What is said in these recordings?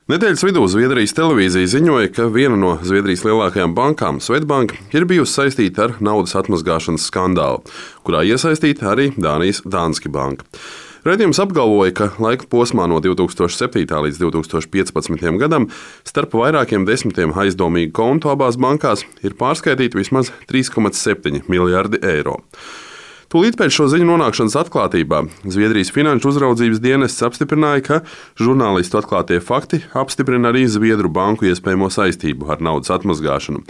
Nedēļas vidū Zviedrijas televīzija ziņoja, ka viena no Zviedrijas lielākajām bankām, Swedbank, ir bijusi saistīta ar naudas atmazgāšanas skandālu, kurā iesaistīta arī Dānijas Danske Bank. Raidījums apgalvoja, ka laika posmā no 2007. līdz 2015. gadam starp vairākiem desmitiem aizdomīgu kontu abās bankās ir pārskaitīti vismaz 3,7 miljardi eiro. Tūlīt pēc šo ziņu nonākšanas atklātībā Zviedrijas finanšu uzraudzības dienests apstiprināja, ka žurnālistu atklātie fakti apstiprina arī Zviedru banku iespējamo saistību ar naudas atmazgāšanu,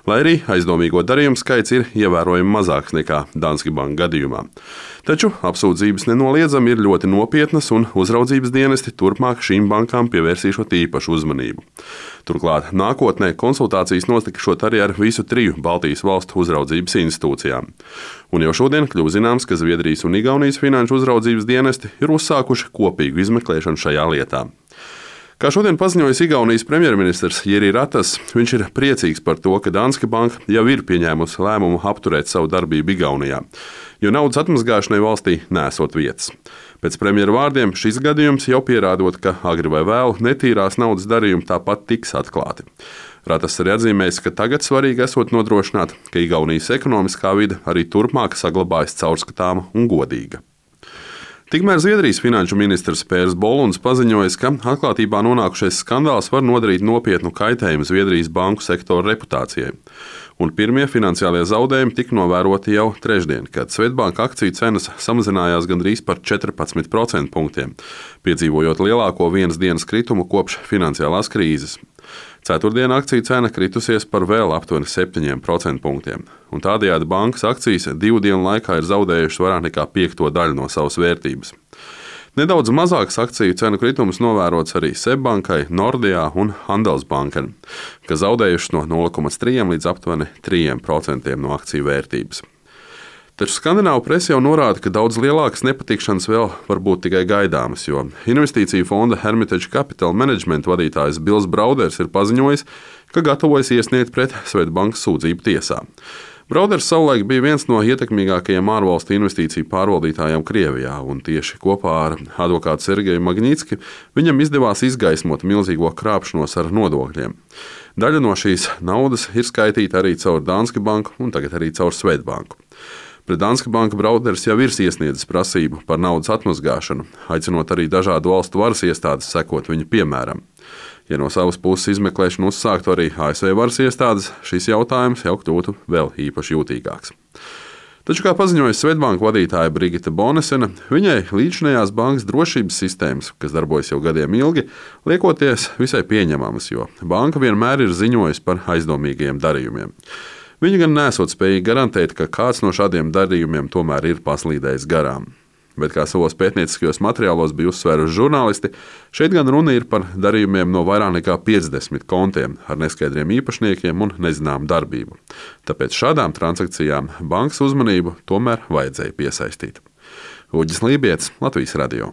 lai arī aizdomīgo darījumu skaits ir ievērojami mazāks nekā Danske Bank gadījumā. Taču apsūdzības nenoliedzami ir ļoti nopietnas, un uzraudzības dienesti turpmāk šīm bankām pievērsīšot īpašu uzmanību. Turklāt nākotnē konsultācijas notikšot arī ar visu 3 Baltijas valstu uzraudzības institūcijām. Un jau šodien kļuva zināms, ka Zviedrijas un Igaunijas finanšu uzraudzības dienesti ir uzsākuši kopīgu izmeklēšanu šajā lietā. Kā šodien paziņoja Igaunijas premjerministrs Jiri Ratas, viņš ir priecīgs par to, ka Danske Bank jau ir pieņēmusi lēmumu apturēt savu darbību Igaunijā, jo naudas atmazgāšanai valstī nesot vietas. Pēc premjera vārdiem šis gadījums jau pierādot, ka agri vai vēlu netīrās naudas darījumi tāpat tiks atklāti. Ratas arī atzīmējis, ka tagad svarīgi esot nodrošināt, ka Igaunijas ekonomiskā vide arī turpmāk saglabājas caurskatāma un godīga. Tikmēr Zviedrijas finanšu ministrs Pērs Bolunds paziņojis, ka atklātībā nonākušais skandāls var nodarīt nopietnu kaitējumu Zviedrijas banku sektora reputācijai. Un pirmie finansiālie zaudējumi tika novēroti jau trešdien, kad Swedbank akciju cenas samazinājās gandrīz par 14%, piedzīvojot lielāko vienas dienas kritumu kopš finansiālās krīzes. Ceturtdien akciju cena kritusies par vēl aptuveni 7%, un tādējādi bankas akcijas 2 dienu laikā ir zaudējušas vairāk nekā 1/5 no savas vērtības. Nedaudz mazāks akciju cenu kritums novērots arī SEB bankai, Nordea un Handelsbanken, kas zaudējušas no 0,3 līdz aptuveni 3% no akciju vērtības. Taču skandināvu presa jau norāda, ka daudz lielākas nepatikšanas vēl var būt tikai gaidāmas, jo investīciju fonda Hermitage Capital Management vadītājs Bills Brauders ir paziņojis, ka gatavojas iesniegt pret Swedbank sūdzību tiesā. Brauders savulaik bija viens no ietekmīgākajiem ārvalstu investīciju pārvaldītājiem Krievijā, un tieši kopā ar advokātu Sergeju Magnitski viņam izdevās izgaismot milzīgo krāpšanos ar nodokļiem. Daļa no šīs naudas ir skaitīta arī caur Danske Banku un tagad arī caur Swedbanku. Pret Danske Banka Brauders jau ir iesniedzis prasību par naudas atmazgāšanu, aicinot arī dažādu valstu varas iestādes sekot viņa piemēram. Ja no savas puses izmeklēšanu uzsāktu arī ASV varas iestādes, šis jautājums jau kļūtu vēl īpaši jūtīgāks. Taču, kā paziņoja Swedbank vadītāja Brigita Bonesena, viņai līdzinējās bankas drošības sistēmas, kas darbojas jau gadiem ilgi, liekoties visai pieņemamas, jo banka vienmēr ir ziņojusi par aizdomīgajiem darījumiem. Viņi gan nesot spējīgi garantēt, ka kāds no šādiem darījumiem tomēr ir paslīdējis garām. Bet, kā savos pētnieciskajos materiālos bija uzsvēruši žurnālisti, šeit gan runa ir par darījumiem no vairāk nekā 50 kontiem ar neskaidriem īpašniekiem un nezināmu darbību. Tāpēc šādām transakcijām bankas uzmanību tomēr vajadzēja piesaistīt. Uģis Lībietis, Latvijas radio.